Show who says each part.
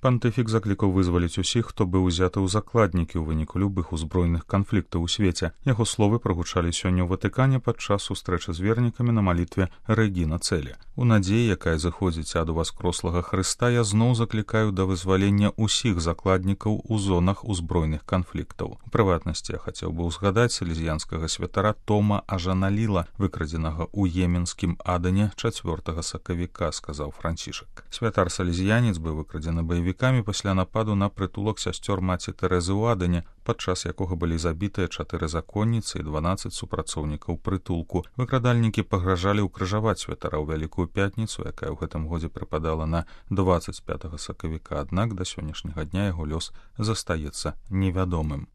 Speaker 1: Пантыфік заклікаў вызваліць усіх, хто быў узяты ў закладнікі ў выніку любых узброеных канфліктаў у свеце. Яго словы прагучалі сёння ў Ватыкане падчас сустрэчы з вернікамі на малітве Рэгіна Цэлі. У надзеі, якая зыходзіць ад уваскрослага Хрыста, я зноў заклікаю да вызвалення ўсіх закладнікаў у зонах узброеных канфліктаў. У прыватнасці я хацеў бы ўзгадаць салезіянскага святара Тома Ажаналіла, выкрадзенага ў Йеменскім Адане 4 сакавіка, сказаў Францішак. Святар-салезіянец быў выкрадзены баевікамі пасля нападу на прытулак сясцёр маці Тэрэзы ў Адане, падчас якога былі забітыя 4 законніцы і 12 супрацоўнікаў прытулку. Выкрадальнікі пагражалі ўкрыжаваць святара ў Вялікую пятніцу, якая ў гэтым годзе прыпадала на 25 сакавіка, аднак да сённяшняга дня яго лёс застаецца невядомым.